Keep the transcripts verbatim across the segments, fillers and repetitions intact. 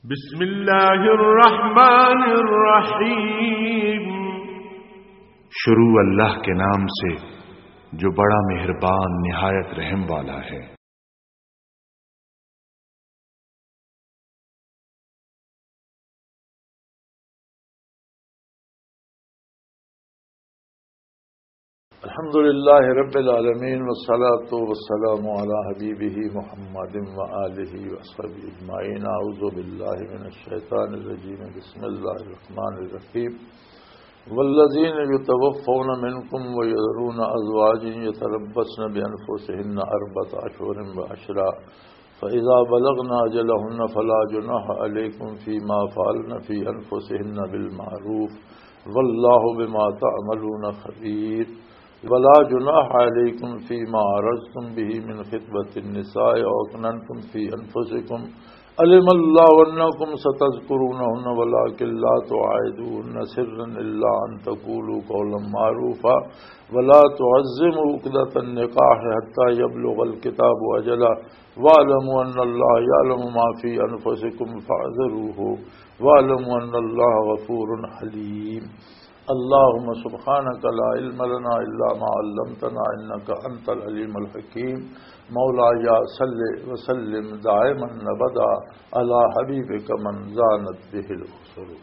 بسم اللہ الرحمن الرحیم۔ شروع اللہ کے نام سے جو بڑا مہربان نہایت رحم والا ہے۔ الحمد لله رب العالمين، والصلاة والسلام على حبيبه محمد وآله وصحبه أجمعين. أعوذ بالله من الشيطان الرجيم. بسم الله الرحمن الرحيم. والذين يتوفون منكم ويذرون أزواجا يتربصن بأنفسهن أربعة أشهر وعشرا، فإذا بلغن أجلهن فلا جناح عليكم فيما فعلن في أنفسهن بالمعروف، والله بما تعملون خبير. ولا جناح عليكم فيما عرضتم به من خطبة النساء أو أكننتم في أنفسكم، علم الله أنكم ستذكرونهن ولكن لا تواعدوهن سرا إلا أن تقولوا قولا معروفا، ولا تعزموا عقدة النكاح حتى يبلغ الكتاب أجله، واعلموا أن الله يعلم ما في أنفسكم فاحذروه، واعلموا أن الله غفور حليم. اللهم سبحانك لا علم لنا إلا ما علمتنا إنك أنت العليم الحكيم. مولاي صل وسلم دائما أبدا على حبيبك من زانت به الأسر.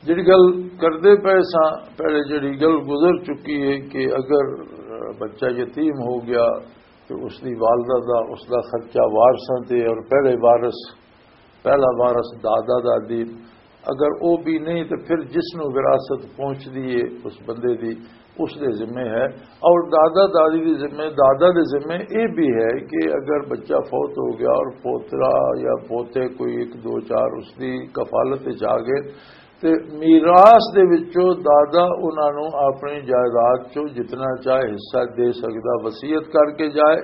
جڑی گل کردے پئے ساں، پہلے جڑی گل گزر چکی ہے کہ اگر بچہ یتیم ہو گیا تو اس دی والدہ دا، اس دا خرچہ وارثاں تے، اور پہلے وارث، پہلا وارث دادا دادی، اگر او بھی نہیں تو پھر جس نو وراثت پہنچدی ہے اس بندے دی، اس دے ذمے ہے۔ اور دادا دادی دے ذمے، دادا دے ذمے اے بھی ہے کہ اگر بچہ فوت ہو گیا اور پوترا یا پوتے کوئی ایک دو چار اس دی کفالت وچ آ گئے، تے میراث دے وچوں دادا انہاں نوں اپنی جائیداد چوں جتنا چاہے حصہ دے سکدا، وصیت کر کے جائے،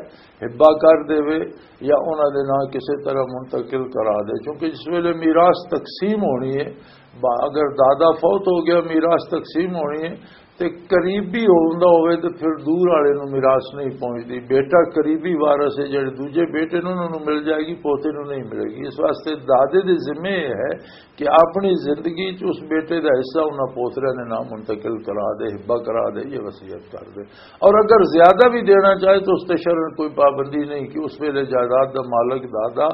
ہبہ کر دے، یا انہاں دے ناں کسے طرح منتقل کرا دے، کیونکہ جس ویلے میراث تقسیم ہونی ہے، با-، اگر دادا فوت ہو گیا، میراث تقسیم ہونی ہے، تے قریبی ہوندا ہوئے تے پھر دور والے نوں میراث نہیں پہنچدی۔ بیٹا قریبی وارث ہے، جڑے دوجے بیٹے نوں انہاں نوں مل جائے گی، پوتے نوں نہیں ملے گی۔ اس واسطے دادے دے ذمے یہ ہے کہ اپنی زندگی چ اس بیٹے دا حصہ انہاں پوتریاں دے نام منتقل کرا دے، ہبہ کرا دے، یہ وصیت کر دے۔ اور اگر زیادہ بھی دینا چاہے تو اس تے شرعاً کوئی پابندی نہیں کہ اس ویلے جائیداد دا مالک دادا،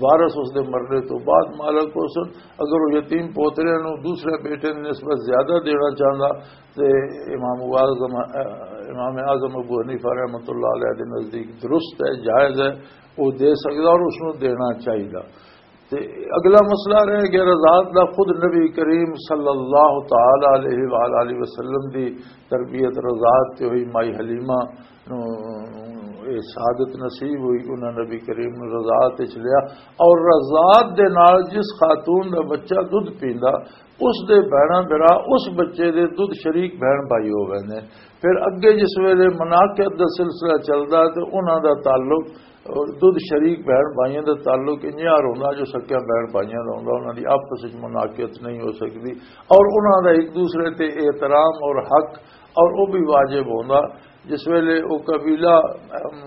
وارث اس دے مرنے تو بعد مالک ہو سن۔ اگر وہ یتیم پوتریاں نوں دوسرے بیٹے دی نسبت زیادہ دینا چاہندا تے امام اعظم، امام اعظم ابو حنیفہ رحمۃ اللہ علیہ دے نزدیک درست ہے، جائز ہے، وہ دے سکدا اور اس نوں دینا چاہیدا۔ تے اگلا مسئلہ رہ گیا رضاعت دا۔ خود نبی کریم صلی اللہ تعالی علیہ وآلہ وسلم دی تربیت رضاعت تے ہوئی۔ مائی حلیمہ نوں اے سعادت نصیب ہوئی، انہاں نبی کریم نوں رضاعت وچ لیا، اور رضاعت دے نال جس خاتون دا بچہ دودھ پیندا، اس دے بھیناں بھرا اس بچے دے دودھ شریک بھین بھائی ہو ویندے۔ پھر اگے جس ویلے مناقضت دا سلسلہ چلدا تے انہاں دا تعلق دودھ شریک بہن بھائیاں دا تعلق انجیار ہوندا جو سکیاں بہن بھائیاں دا ہوندا، انہاں دی آپس وچ مناقضت نہیں ہو سکدی، اور انہاں دا ایک دوسرے تے احترام اور حق اور او بھی واجب ہوندا۔ جس ویلے او قبیلہ، ام،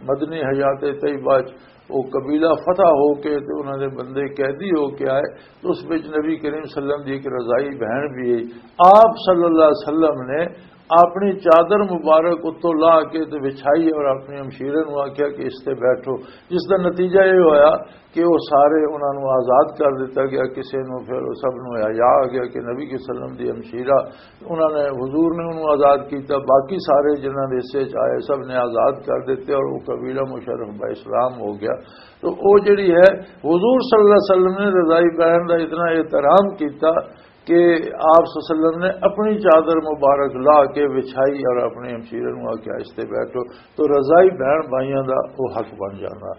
مدنی حیات طیبہ وچ او قبیلہ فتح ہو کے تے انہاں دے بندے قیدی ہو کے آئے، تو اس وچ نبی کریم صلی اللہ علیہ وسلم دی ایک رضائی بہن بھی ہے۔ آپ صلی اللہ علیہ وسلم نے اپنی چادر مبارک اتوں لا کے تے وچھائی اور اپنی ہمشیرے نوں آکھیا کہ اس تے بیٹھو، جس دا نتیجہ یہ ہویا کہ وہ سارے انہاں نوں آزاد کر دتا گیا، کسے نوں، پھر سب نوں حیا آ گیا کہ نبی کے وسلم دی ہمشیرہ، انہاں نے، حضور نے انہوں آزاد کیتا، باقی سارے جنہاں دے حصے چ آئے سب نے آزاد کر دیتے اور وہ قبیلہ مشرف با اسلام ہو گیا۔ تو وہ جڑی ہے، حضور صلی اللہ علیہ وسلم نے رضائی بہن دا اتنا احترام کیتا کہ آپ صلی اللہ علیہ وسلم نے اپنی چادر مبارک لا کے وچھائی اور اپنے ہمشیرے نوں آکھیا، "اس تے بیٹھو۔" تو رضائی بہن بھائیاں دا وہ حق بن جانا۔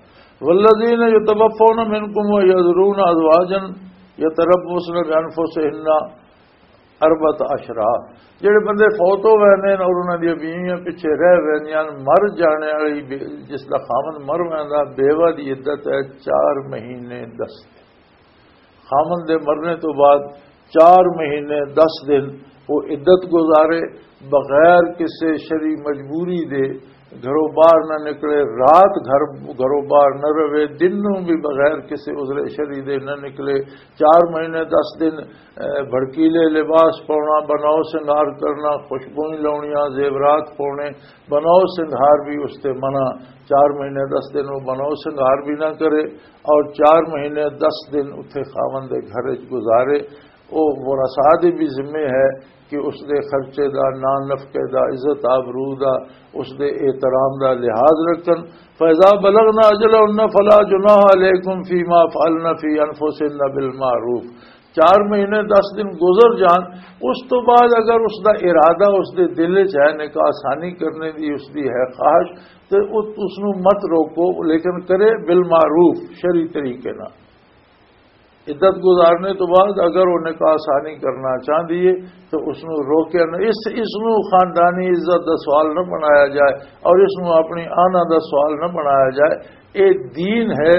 "والذین یتوفون منکم ویذرون ازواجا یتربصن بانفسہن اربعۃ اشہر۔" جڑے بندے فوت ہو ویندے نے اور انہاں دی بیویاں پیچھے رہ ویندیاں، مر جانے والی بے-، جس دا خاوند مر ویندا، بیوہ دی عدت ہے چار مہینے دس دن۔ خاوند دے مرنے تو بعد چار مہینے دس دن وہ عدت گزارے، بغیر کسے شرعی مجبوری دے، گھروں باہر نہ نکلے، رات گھر، گھروں باہر نہ رہے، دن نوں بھی بغیر کسی عذر شرعی دے نہ نکلے، چار مہینے دس دن، اے، بھڑکیلے لباس پاؤنا، بناؤ سنگار کرنا، خوشبوئیں لاؤنیاں، زیورات پاؤنے، بناؤ سنگار بھی اس تے منع، چار مہینے دس دن وہ بناؤ سنگار بھی نہ کرے، اور چار مہینے دس دن اتھے خاوند دے گھر وچ گزارے۔ او ورثاء دے بھی ذمے ہے کہ اس دے خرچے دا، نان نفقے دا، عزت آبرو دا، اس دے احترام دا لحاظ رکھن۔ فَإِذَا بَلَغْنَ أَجَلَهُنَّ فَلَا جُنَاحَ عَلَيْكُمْ فِي مَا فَعَلْنَ فِي أَنفُسِهِنَّ بِالْمَعْرُوفِ۔ چار مہینے دس دن گزر جان، اس تو بعد اگر اس دا ارادہ اس دے دل وچ ہے نکاح ثانی کرنے دی، اس دی ہے خواہش، تے اس، اس نو مت روکو، لیکن کرے بالمعروف، شرعی طریقے نال۔ عدت گزارنے تو بعد اگر وہ نکاح ثانی کرنا چاہندی ہے تو اس نو روکے نہ، اس، اس نو خاندانی عزت دا سوال نہ بنایا جائے اور اس نو اپنی آنا دا سوال نہ بنایا جائے۔ اے دین ہے،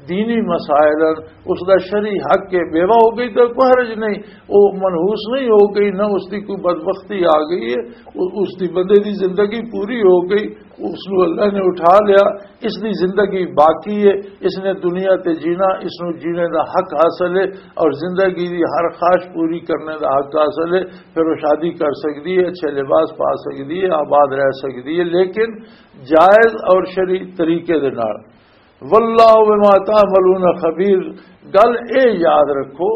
دینی مسائل ہیں، اس دا شرعی حق ہے۔ بیوہ ہو گئی تو کوئی حرج نہیں، وہ منحوس نہیں ہو گئی، نہ اس دی کوئی بدبختی آ گئی ہے، وہ، اس دی بندے دی زندگی پوری ہو گئی، اس نو اللہ نے اٹھا لیا، اس دی زندگی باقی ہے، اس نے دنیا تے جینا، اس نو جینے دا حق حاصل ہے اور زندگی دی ہر خواہش پوری کرنے دا حق حاصل ہے۔ پھر وہ شادی کر سکدی ہے، اچھے لباس پا سکدی ہے، آباد رہ سکدی ہے، لیکن جائز اور شرعی طریقے دے نال۔ واللہ بما تعملون خبیر۔ گل اے یاد رکھو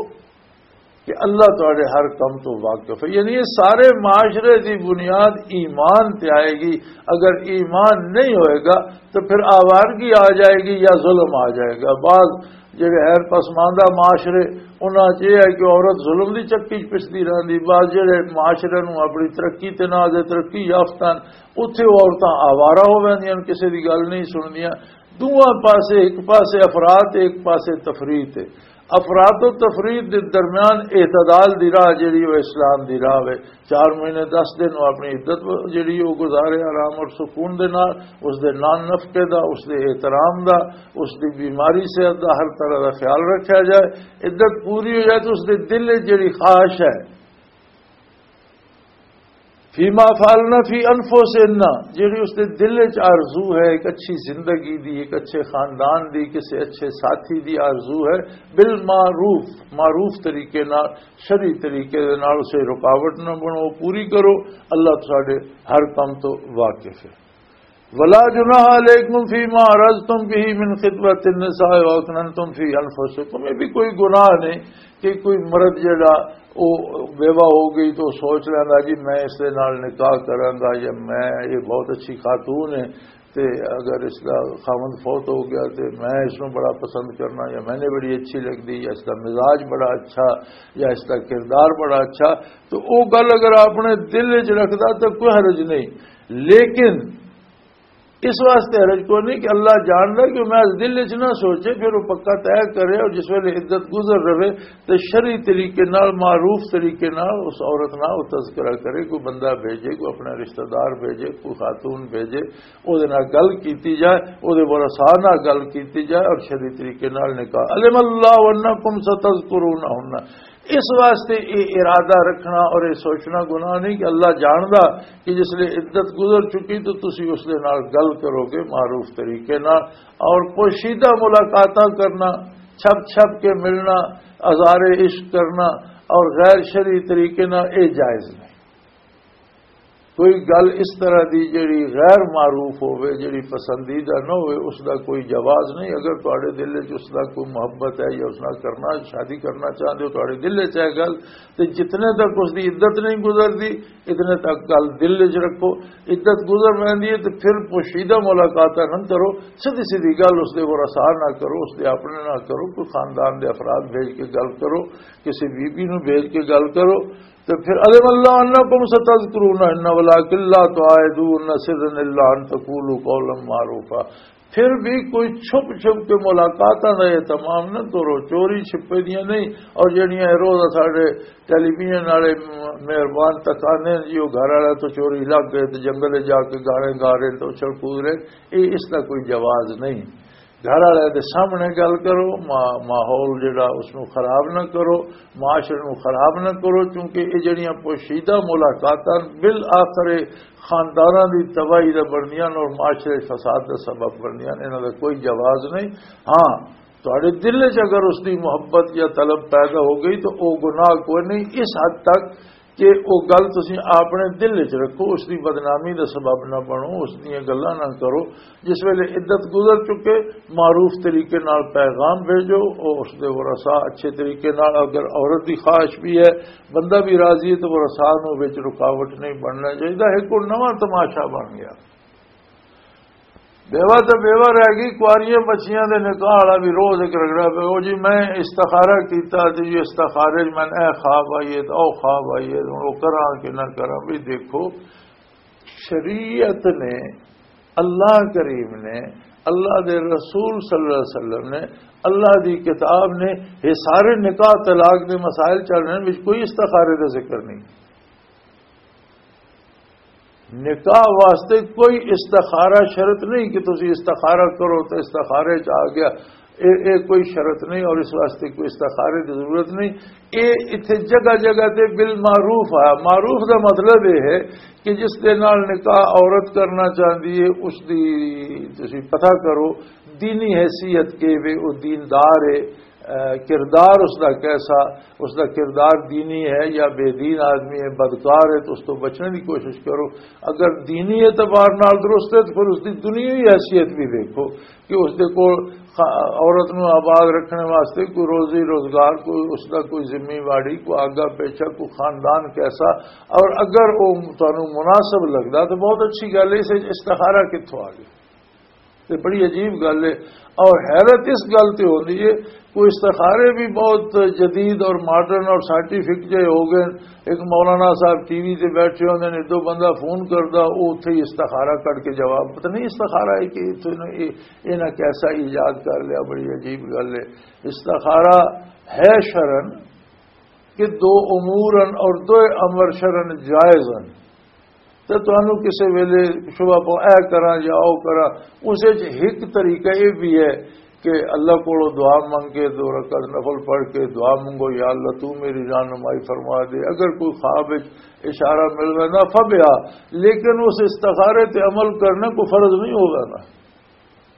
کہ اللہ تہاڈے ہر کم تو واقف ہے۔ یعنی یہ سارے معاشرے دی بنیاد ایمان تے آئے گی۔ اگر ایمان نہیں ہوئے گا تو پھر آوارگی آ جائے گی یا ظلم آ جائے گا۔ بعض جڑے غیر پسماندہ معاشرے، انہاں 'چ یہ ہے کہ عورت ظلم دی چکی 'چ پسدی رہندی۔ بعض جڑے معاشرے نوں اپنی ترقی تے ناز ہے، ترقی یافتہ ہن، اتھے عورتاں آوارہ ہو ویندیاں، کسے دی گل نہیں سننیاں۔ دوواں پاسے، ایک پاسے افراط، ایک پاسے تفریط ہے۔ افراط و تفریط دے درمیان اعتدال دی راہ جڑی، وہ اسلام دی راہ ہے۔ چار مہینے دس دن وہ اپنی عدت جڑی، وہ گزارے آرام اور سکون دے نال، اس دے نان نفقے دا، اس دے احترام دا، اس دی بیماری صحت دا، ہر طرح دا خیال رکھا جائے۔ عدت پوری ہو جائے تو اس دے دل وچ جڑی خواہش ہے، فیما فعلنا فی انفسنا، جڑی اس دے دل وچ آرزو ہے ایک اچھی زندگی دی، ایک اچھے خاندان دی، کسی اچھے ساتھی دی آرزو ہے، بالمعروف، معروف طریقے نال، شرعی طریقے دے نال اسے رکاوٹ نہ بنو، پوری کرو۔ اللہ تساڈے ہر کم تو واقف ہے۔ ولا جناح علیکم فیما عرضتم به من خطبۃ النساء و اکننتم فی انفسکم، یہ بھی کوئی گناہ نہیں کہ کوئی مرد جڑا وہ بیوہ ہو گئی تو سوچ لینا جی میں اس دے نال نکاح کراں گا، یا میں، یہ بہت اچھی خاتون ہے، تے اگر اس دا خاوند فوت ہو گیا تے میں اس نوں بڑا پسند کرنا، یا میں نے بڑی اچھی لگدی، یا اس دا مزاج بڑا اچھا، یا اس دا کردار بڑا اچھا، تو وہ گل اگر اپنے دل وچ رکھدا تو کوئی حرج نہیں۔ لیکن اس واسطے حرج کوئی نہیں کہ اللہ جاندا کہ میں اس دل وچ نہ سوچے، پھر وہ پکا طے کرے، اور جس ویلے عدت گزر رہے تو شرعی طریقے نال، معروف طریقے نال اس عورت نال وہ تذکرہ کرے، کوئی بندہ بھیجے، کوئی اپنا رشتہ دار بھیجے، کوئی خاتون بھیجے، او دے نال گل کیتی جائے، او دے ورثاء نال گل کیتی جائے اور شرعی طریقے نال نکاح۔ علم اللہ انکم ستذکرونہن، اس واسطے یہ ارادہ رکھنا اور یہ سوچنا گناہ نہیں کہ اللہ جاندا کہ جس لئے عدت گزر چکی تو تسی اس دے نال گل کرو گے معروف طریقے نال، اور پوشیدہ ملاقاتاں کرنا، چھپ چھپ کے ملنا، اظہار عشق کرنا اور غیر شرعی طریقے نال یہ جائز نہیں۔ کوئی گل اس طرح دی جڑی غیر معروف ہوئے، جڑی پسندیدہ نہ ہوئے، اس دا کوئی جواز نہیں۔ اگر تہاڈے دل وچ اس دا کوئی محبت ہے یا اس نال کرنا، شادی کرنا چاہندے ہو، تہاڈے دل وچ ہے گل، تے جتنے تک اس دی عدت نہیں گزردی، اتنے تک گل دل وچ رکھو۔ عدت گزر ویندی ہے تے پھر پوشیدہ ملاقاتاں نہ کرو، سیدھی سیدھی گل اس دے ورثاء نہ کرو، اس دے اپنے نہ کرو، کوئی خاندان دے افراد بھیج کے گل کرو، کسی بی بی نو بھیج کے گل کرو۔ تے پھر، علم اللہ انکم ستذکرونہن ولکن لا تواعدوہن سرا الا ان تقولوا قولا معروفا۔ پھر بھی کوئی چھپ چھپ کے ملاقاتاں دا اہتمام نہ کرو، چوری چھپے دیاں نہیں۔ اور جڑیاں روز ساڈے ٹیلی ویژن والے مہربان تکانے جی، وہ گھر والا تو چوری لگ گئے تے جنگل جا کے گانے گا رہے تے اچھل کود رہے، یہ اس دا کوئی جواز نہیں۔ گھر والے دے سامنے گل کرو، ما-، ماحول جڑا اس نو خراب نہ کرو، معاشرے نو خراب نہ کرو، کیونکہ یہ جڑیاں پوشیدہ ملاقاتاں بالآخر خانداناں دی تباہی دا بنیاں اور معاشرے فساد دا سبب بنیاں، انہاں دا کوئی جواز نہیں۔ ہاں، تہاڈے دل وچ اگر اس دی محبت یا طلب پیدا ہو گئی تو او گناہ کوئی نہیں، اس حد تک کہ او گل تسی اپنے دل وچ رکھو، اس دی بدنامی دا سبب نہ بنو، اس دیاں گلاں نہ کرو۔ جس ویلے عدت گزر چکے، معروف طریقے نال پیغام بھیجو، او اس دے ورثاء اچھے طریقے نال، اگر عورت دی خواہش بھی ہے، بندہ بھی راضی ہے، تو ورثاء نوں وچ رکاوٹ نہیں بننا چاہیے۔ ایک کوئی نواں تماشا بن گیا، بیوہ تے بیوہ رہ گئی، کواریاں بچیاں دے نکاح والا بھی روز ایک رگڑا پہ، او جی میں استخارہ کیتا تے جی استخارے وچ میں اے خواب آئی ہے تے او خواب آئی ہے، ہن او کراں کہ نہ کراں؟ بھی دیکھو، شریعت نے، اللہ کریم نے، اللہ دے رسول صلی اللہ علیہ وسلم نے، اللہ دی کتاب نے، یہ سارے نکاح طلاق دے مسائل چل رہے ہیں، وچ کوئی استخارے دا ذکر نہیں۔ نکاح واسطے کوئی استخارہ شرط نہیں کہ تسی استخارہ کرو تو استخارے چ آ گیا۔ اے، اے کوئی شرط نہیں اور اس واسطے کوئی استخارے کی ضرورت نہیں۔ اے اتھے جگہ جگہ تے بالمعروف ہے۔ معروف دا مطلب یہ ہے کہ جس دے نال نکاح عورت کرنا چاہندی ہے، اس دی تسی پتہ کرو، دینی حیثیت کے وے، او دیندار ہے، اے، کردار اس دا کیسا، اس دا کردار دینی ہے یا بے دین آدمی ہے، بدکار ہے، تو اس تو بچنے دی کوشش کرو۔ اگر دینی اعتبار نال درست ہے تو پھر اس دی دنیاوی حیثیت بھی دیکھو کہ اس دے کول خا-، عورت نو آباد رکھنے واسطے کوئی روزی روزگار، کوئی اس دا کوئی ذمہ واری، کوئی آگا پیچھا، کوئی خاندان کیسا، اور اگر وہ تانوں مناسب لگدا تو بہت اچھی گل ہے، اس وچ استخارہ کتھوں آ گیا؟ تے بڑی عجیب گل ہے۔ اور حیرت اس گل تے ہوندی ہے، کوئی استخارے بھی بہت جدید اور ماڈرن اور سائنٹیفک جے ہو گئے۔ ایک مولانا صاحب ٹی وی تے بیٹھے ہوندے نے، دو بندہ فون کردا، او اتھے ہی استخارہ کر کے جواب، پتہ نہیں استخارہ ہے کہ اتھے انہاں اے-، انہاں کیسا ایجاد کر لیا، بڑی عجیب گل ہے۔ استخارہ ہے شرن کہ دو امور ہن اور دو امر شرن جائز ہن۔ تے تانوں کسے ویلے شبہ پو اے کراں یا او کراں، اس وچ ایک طریقہ یہ بھی ہے کہ اللہ کولوں دعا منگ کے، دو رکعت نفل پڑھ کے دعا منگو، یا اللہ تو میری رہنمائی فرما دے۔ اگر کوئی خواب وچ اشارہ مل ویندا فبیا، لیکن اس استخارے تے عمل کرنا کوئی فرض نہیں ہو ویندا۔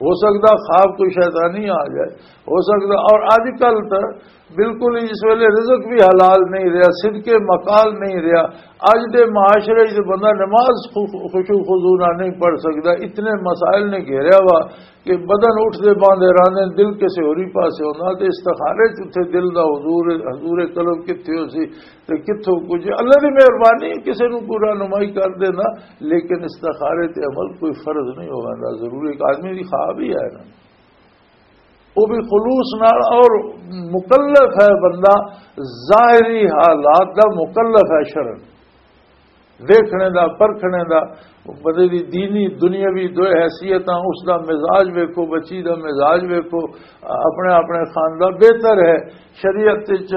ہو سکدا خواب کوئی شیطانی آ جائے، ہو سکدا۔ اور اج کل تے بالکل ہی اس ویلے رزق بھی حلال نہیں رہیا، صدقے مقال نہیں رہیا۔ اج دے معاشرے وچ بندہ نماز خو-، خشوع خضوع نال نہیں پڑھ سکدا، اتنے مسائل نے گھیریا وا کہ بدن اٹھدے باندھے راندے، دل کسے ہوری پاسے ہوندا، تے استخارے چ اتھے دل دا حضور، حضور قلب کتھے ہو سی؟ تے کتھوں کچھ اللہ دی مہربانی، کسے نوں کوئی رہنمائی کر دینا، لیکن استخارے تے عمل کوئی فرض نہیں ہو ویندا، ضرور ایک آدمی دی خواب ہی ہے نا، وہ بھی خلوص نال۔ اور مکلف ہے بندہ، ظاہری حالات دا مکلف ہے شرن، دیکھنے دا، پرکھنے دا، بندے دی دینی دنیاوی دو حیثیتاں، اس دا مزاج ویکھو، بچی دا مزاج ویکھو، اپنے اپنے خاندان بہتر ہے۔ شریعت وچ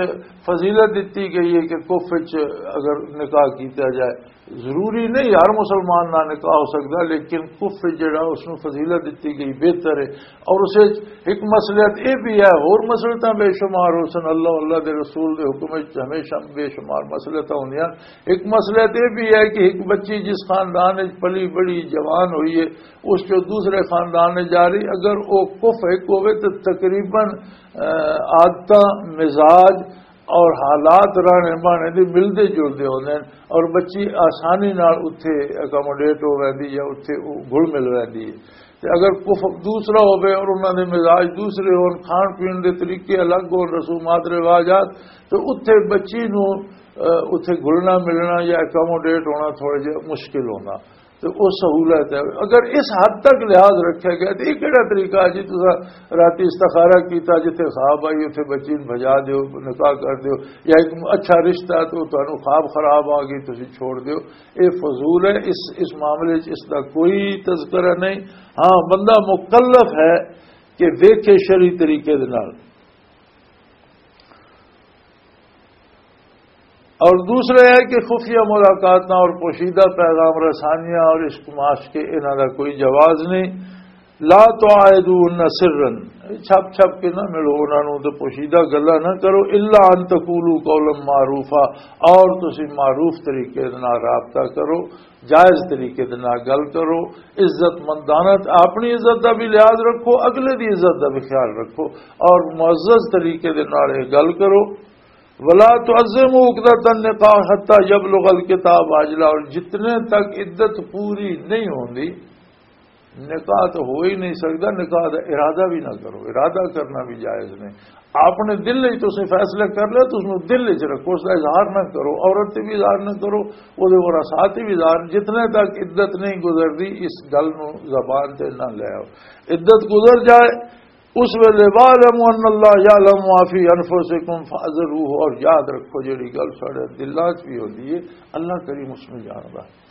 فضیلت دتی گئی ہے کہ کف وچ اگر نکاح کیتا جائے، ضروری نہیں ہر مسلمان نال نکاح ہو سکدا، لیکن کف وچ جڑا اس نوں فضیلت دتی گئی بہتر ہے۔ اور اس وچ ایک مصلحت یہ بھی ہے، ہور مصلحتاں بے شمار ہو سن، اللہ، اللہ دے رسول دے حکم وچ ہمیشہ بے شمار مصلحتاں ہوندیاں۔ ایک مصلحت یہ بھی ہے کہ ایک بچی جس خاندان وچ پلی بڑی جوان ہوئی ہے، اس جو دوسرے خاندان میں جا رہی، اگر وہ کف ایک ہوئے تو تقریباً، آ، عادتاں، مزاج اور حالات رہنے بہنے دی ملدے جلدے ہوندے ہیں اور بچی آسانی نال اتھے اکاموڈیٹ ہو ویندی یا اتھے او گھل مل ویندی ہے۔ تے اگر کف دوسرا ہوے اور انہاں دے مزاج دوسرے ہون، کھان پین دے طریقے الگ ہون، رسومات رواجات، تو اتھے بچی نو، آ، اتھے گھلنا ملنا یا اکاموڈیٹ ہونا تھوڑا جہا مشکل ہونا۔ تو او سہولت ہے۔ اگر اس حد تک لحاظ رکھا گیا تو یہ کہڑا طریقہ ہے جی؟ تسا راتی استخارہ کیتا، جتھے خواب آئی اتھے بچی نوں بھجا دیو، نکاح کر دیو، یا ایک اچھا رشتہ ہے تو تانوں خواب خراب آ گئی، تسی چھوڑ دیو۔ یہ فضول ہے۔ اس، اس معاملے چ اس دا کوئی تذکرہ نہیں۔ ہاں، بندہ مکلف ہے کہ ویکھے شرعی طریقے دے نال۔ اور دوسرا ہے کہ خفیہ ملاقاتاں اور پوشیدہ پیغام رسانیاں اور عشق معاشقے، انہاں دا کوئی جواز نہیں۔ لا تعاہدون سرا، چھپ چھپ کے نہ ملو انہاں نوں تے پوشیدہ گلاں نہ کرو، الا ان تقولوا قولا معروفا، اور تسی معروف طریقے دے نال رابطہ کرو، جائز طریقے دے نال گل کرو، عزت مندانہ، اپنی عزت دا بھی لحاظ رکھو، اگلے دی عزت دا بھی خیال رکھو، اور معزز طریقے دے نال یہ گل کرو۔ ولا تعزموا عقدۃ النکاح حتی یبلغ الکتاب اجلہ، اور جتنے تک عدت پوری نہیں ہوندی، نکاح تو ہو ہی نہیں سکتا، نکاح دا ارادہ بھی نہ کرو، ارادہ کرنا بھی جائز نہیں۔ اپنے دل وچ تسیں فیصلہ کر لیا، تسیں دل وچ رکھو، اس دا اظہار نہ کرو، عورت تے بھی اظہار نہ کرو، او دے ورثاء تے بھی اظہار، جتنے تک عدت نہیں گزردی، اس گل نو زبان تے نہ لے آؤ۔ عدت گزر جائے، اس ویلے، "واعلموا ان اللہ یعلم ما فی انفسکم فاحذروہ"، اور یاد رکھو، جڑی گل ساڈے دلاں وچ بھی ہوندی ہے، اللہ کریم اس نوں جاندا ہے۔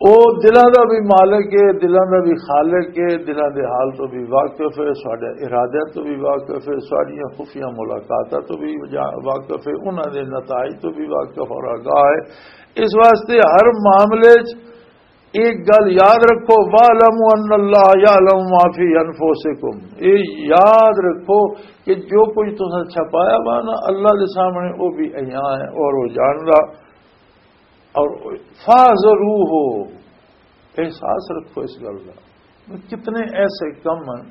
او دلاں دا بھی مالک ہے، دلاں دا بھی خالق ہے، دلاں دے حال تو بھی واقف ہے، ساڈے ارادے تو بھی واقف ہے، ساڈیاں خفیہ ملاقاتاں تو بھی جا-، واقف ہے، انہاں دے نتائج تو بھی واقف اور آگاہ ہے۔ اس واسطے ہر معاملے 'چ ایک گل یاد رکھو، "واعلموا ان اللہ یعلم ما فی انفسکم"، یہ یاد رکھو کہ جو کچھ تساں چھپایا وا نا، اللہ دے سامنے وہ بھی ایاں ہے اور وہ جاندا۔ اور فاحذروہ، احساس رکھو اس گل دا۔ کتنے ایسے کم ہیں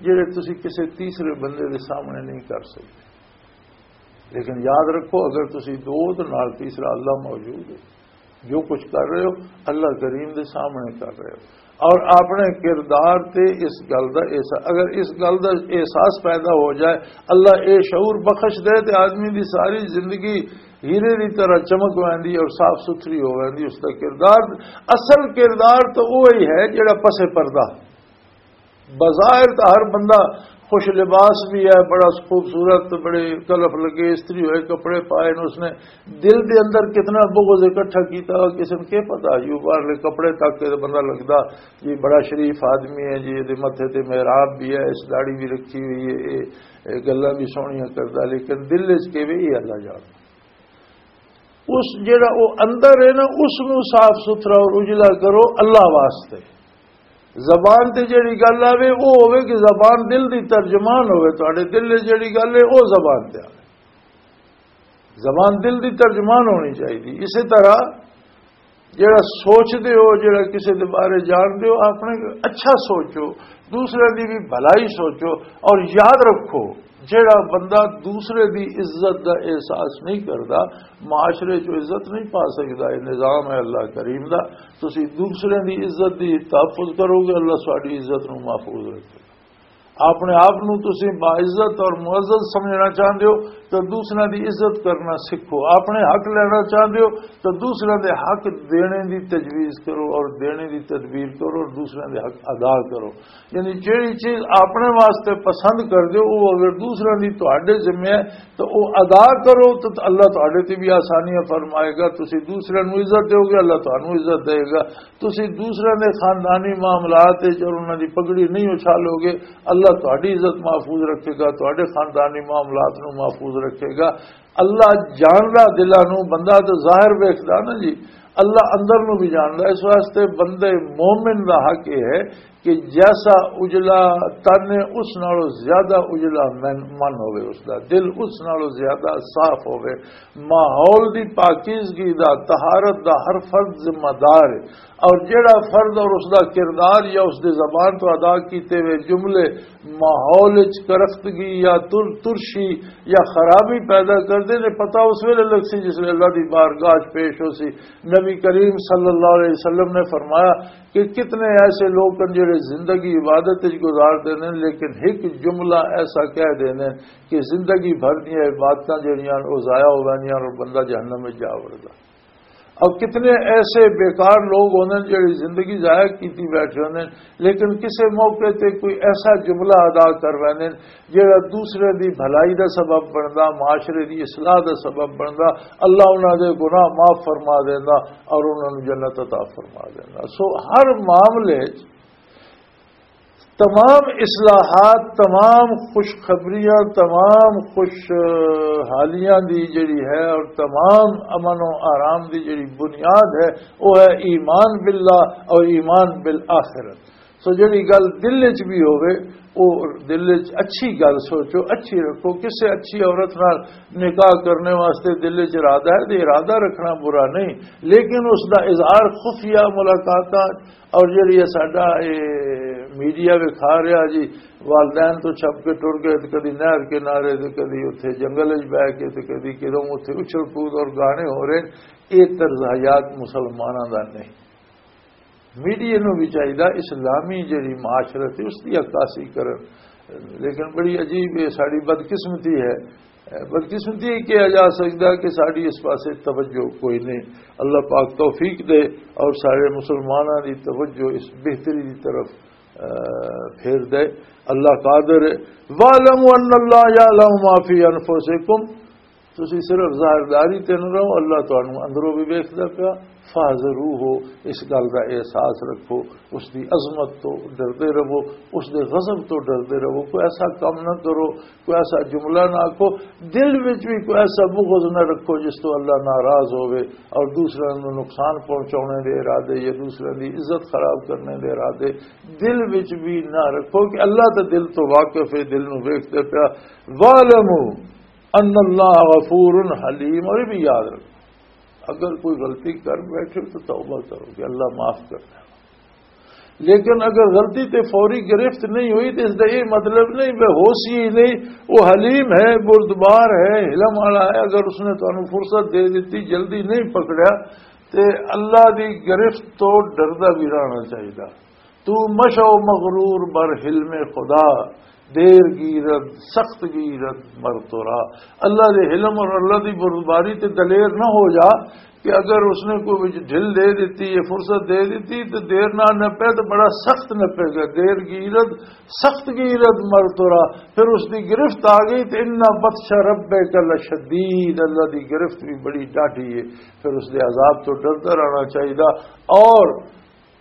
جڑے تسی کسی تیسرے بندے دے سامنے نہیں کر سکتے، لیکن یاد رکھو، اگر تسی دو تو نال تیسرا اللہ موجود ہے، جو کچھ کر رہے ہو اللہ کریم دے سامنے کر رہے ہو۔ اور اپنے کردار تے اس گل دا احساس، اگر اس گل دا احساس پیدا ہو جائے، اللہ اے شعور بخش دے تے آدمی دی ساری زندگی ہیرے دی طرح چمک ویندی اور صاف ستھری ہو ویندی۔ اس دا کردار، اصل کردار تو وہی ہے جڑا پس پردہ۔ بظاہر تو ہر بندہ خوش لباس بھی ہے، بڑا خوبصورت، بڑے کلف لگے استری ہوئے کپڑے پائے نے، اس نے دل دے اندر کتنا بغض اکٹھا کیتا ہوا، کسی نے کیا پتا؟ یوں باہرلے کپڑے تک کے بندہ لگدا، یہ بڑا شریف آدمی ہے جی، یہ متھے تے محراب بھی ہے، اس داڑھی بھی رکھی ہوئی ہے، یہ، یہ گلاں بھی سوہنیاں کردا، لیکن دل وچ کے بھی یہ اللہ جاندا۔ اس جڑا وہ اندر ہے نا، اس نو صاف ستھرا اور اجلا کرو اللہ واسطے۔ زبان تے جڑی گل آوے، وہ ہوے کہ زبان دل دی ترجمان ہوے، تہاڈے دل وچ جڑی گل ہے، وہ زبان تے آوے۔ زبان دل دی ترجمان ہونی چاہیے۔ اسی طرح جڑا سوچدے ہو، جڑا کسے دے بارے جاندے ہو، اپنے اچھا سوچو، دوسرے دی بھی بھلائی سوچو، اور یاد رکھو، جڑا بندہ دوسرے دی عزت دا احساس نہیں کردا، معاشرے چ عزت نہیں پا سکدا۔ یہ نظام ہے اللہ کریم دا، تسی دوسرے دی عزت دی تحفظ کرو گے، اللہ ساری عزت نو محفوظ رکھے۔ اپنے آپ نو تسی باعزت اور معزز سمجھنا چاہندے ہو تو دوسرے دی عزت کرنا سکھو، اپنے حق لینا چاہندے ہو تو دوسرے دے حق دینے دی تجویز کرو اور دینے دی تدبیر کرو اور دوسرے دے حق ادا کرو۔ یعنی جیڑی چیز اپنے واسطے پسند کر دیو، وہ اگر دوسرے دی تہاڈے ذمہ ہے تو وہ ادا کرو، تو اللہ تہاڈے تے بھی آسانیاں فرمائے گا۔ تسی دوسرے نو عزت دیو گے، اللہ تہانوں عزت دے گا۔ تسی دوسرے دے خاندانی معاملات وچ اور انہاں دی پگڑی نہیں اچھالو گے، اللہ تہاڈی عزت محفوظ رکھے گا، تہاڈے خاندانی معاملات نو محفوظ رکھے گا۔ اللہ جاندا دلاں نو، بندہ تو ظاہر ویکھدا نا جی، اللہ اندر نو بھی جاندا۔ اس واسطے بندے مومن دا حق یہ ہے کہ جیسا اجلا تن ہے، اس نالوں زیادہ اجلا من، من ہوے، اس دا دل اس نالوں زیادہ صاف ہوے۔ ماحول دی پاکیزگی دا، طہارت دا ہر فرد ذمہ دار ہے، اور جیڑا فرد اور اس دا کردار یا اس دے زبان تو ادا کیتے ہوئے جملے ماحول وچ کرختگی یا تر-، ترشی یا خرابی پیدا کردے نے، پتہ اس ویلے لگ سی جس ویلے اللہ دی بارگاہ وچ پیش ہو سی۔ نبی کریم صلی اللہ علیہ وسلم نے فرمایا کہ کتنے ایسے لوگ ہیں جڑے زندگی عبادت وچ گزار دے نے، لیکن ایک جملہ ایسا کہہ دے نے کہ زندگی بھر دیاں عبادتاں جڑیاں او ضائع ہو ویندیاں اور بندہ جہنم وچ جا وڑدا۔ اور کتنے ایسے بیکار لوگ ہوندے نے جڑی زندگی ضائع کیتی بیٹھے ہوندے نے، لیکن کسے موقع تے کوئی ایسا جملہ ادا کر ویندے نے جڑا دوسرے دی بھلائی دا سبب بندا، معاشرے دی اصلاح دا سبب بندا، اللہ انہاں دے گناہ معاف فرما دیندا اور انہاں نوں جنت عطا فرما دیندا۔ سو ہر معاملے 'چ تمام اصلاحات، تمام خوشخبریاں، تمام خوشحالیاں دی جڑی ہے اور تمام امن و آرام دی جڑی بنیاد ہے، وہ ہے ایمان باللہ اور ایمان بالآخرت۔ سو جڑی گل دل وچ بھی ہووے، او دل وچ اچھی گل سوچو، اچھی رکھو۔ کسے اچھی عورت نال نکاح کرنے واسطے دل وچ ارادہ ہے، تے ارادہ رکھنا برا نہیں، لیکن اس دا اظہار خفیہ ملاقاتاں، اور جڑی ہے ساڈا اے میڈیا وکھا رہا جی، والدین تو چھپ کے ٹر گئے، تے کدی نہر کنارے، تے کدی اتھے جنگل وچ بہ کے، تے کدی کدوں اتھے اچھل کود اور گانے ہو رہے، یہ طرز حیات مسلماناں دا نہیں۔ میڈیا نوں بھی چاہیدا اسلامی جڑی معاشرت ہے، اس دی عکاسی کرن۔ لیکن بڑی عجیب یہ ساری بدقسمتی ہے۔ بدقسمتی یہ کہا جا سکدا کہ ساری اس پاسے توجہ کوئی نہیں۔ اللہ پاک توفیق دے اور سارے مسلماناں دی توجہ اس بہتری دی طرف، آ، پھیر دے۔ اللہ قادر ہے۔ وَاعْلَمُوا أَنَّ اللَّهَ يَعْلَمُ مَا فِي أَنفُسِكُمْ۔ تسی صرف ظاہرداری تے نہ رہو، اللہ تانوں اندروں بھی ویکھدا پیا۔ فاحذروہ، اس گل دا احساس رکھو، اس دی عظمت تو ڈردے رہو، اس دے غضب تو ڈردے رہو۔ کوئی ایسا کم نہ کرو، کوئی ایسا جملہ نہ آکھو، دل وچ بھی کوئی ایسا بغض نہ رکھو جس تو اللہ ناراض ہوئے، اور دوسرے نوں نقصان پہنچانے دے ارادے یا دوسرے دی عزت خراب کرنے دے ارادے دل وچ بھی نہ رکھو، کہ اللہ تے دل تو واقف ہے، دل نوں ویکھدا پیا۔ وَاعْلَمُوا أَنَّ اللَّهَ غَفُورٌ حَلِيمٌ۔ اور یہ بھی یاد رکھو، اگر کوئی غلطی کر بیٹھے تو توبہ کرو کہ اللہ معاف کرنا ہے۔ لیکن اگر غلطی تے فوری گرفت نہیں ہوئی تو اس دا یہ مطلب نہیں بے ہوشی ہی نہیں، وہ حلیم ہے، بردبار ہے، حلم والا ہے۔ اگر اس نے تانوں فرصت دے دیتی، جلدی نہیں پکڑیا، تے اللہ دی گرفت تو ڈردا بھی رہنا چاہیے۔ تو مشو مغرور بر حلم خدا، دیر گیرد سخت گیرد مر تو را۔ اللہ دے حلم اور اللہ دی بردباری تے دلیر نہ ہو جا، کہ اگر اس نے کوئی ڈھل دے دیتی، یہ فرصت دے دیتی تو دیر نہ نپے تو بڑا سخت نپے گا۔ دیر گیرد سخت گیرد مر تو را، پھر اس دی گرفت آ گئی تو اِنَّ بَطْشَ رَبِّكَ لَشَدِيدٌ، اللہ دی گرفت بھی بڑی ڈاڈھی ہے، پھر اس دے عذاب تو ڈردا رہنا چاہیے۔ اور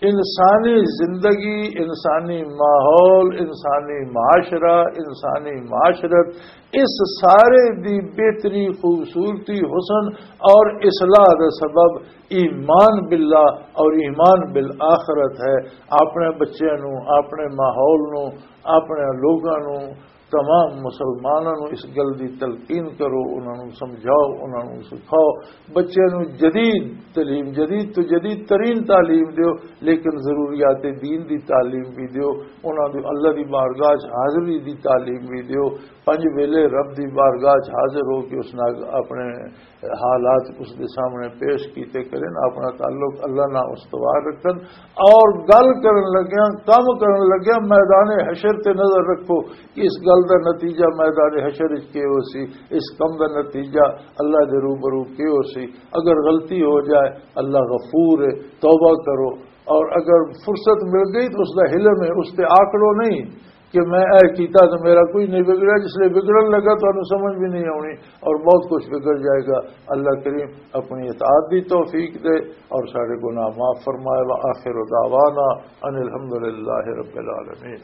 انسانی زندگی، انسانی ماحول، انسانی معاشرہ، انسانی معاشرت، اس سارے دی بہتری، خوبصورتی، حسن اور اصلاح دا سبب ایمان باللہ اور ایمان بالآخرت ہے۔ اپنے بچیاں نوں، اپنے ماحول نوں، اپنے لوگاں نوں، تمام مسلماناں نوں اس گل دی تلقین کرو، انہاں نوں سمجھاؤ، انہاں نوں سکھاؤ۔ بچیاں نوں جدید تعلیم، جدید تو جدید ترین تعلیم دیو، لیکن ضروریات دین دی تعلیم بھی دیو۔ انہاں نوں اللہ دی بارگاہ چ حاضری دی تعلیم بھی دیو۔ پنج ویلے رب دی بارگاہ چ حاضر ہو کے اس نال اپنے حالات اس دے سامنے پیش کیتے کرن، اپنا تعلق اللہ نال استوار رکھن، اور گل کرن لگیا، کم کرن لگیا میدان حشر تے نظر رکھو کہ اس گل دا نتیجہ میدان حشر وچ کی ہو سی، اس کم دا نتیجہ اللہ دے روبرو کی ہو سی۔ اگر غلطی ہو جائے، اللہ غفور ہے، توبہ کرو۔ اور اگر فرصت مل گئی تو اس دا حلم ہے، اس تے آکڑو نہیں کہ میں اے کیتا تو میرا کوئی نہیں بگڑا۔ جس لئے بگڑن لگا تو انہوں سمجھ بھی نہیں آنی اور بہت کچھ بگڑ جائے گا۔ اللہ کریم اپنی اطاعت دی توفیق دے اور سارے گناہ معاف فرمائے۔ وآخر دعوانا ان الحمد للہ رب العالمین۔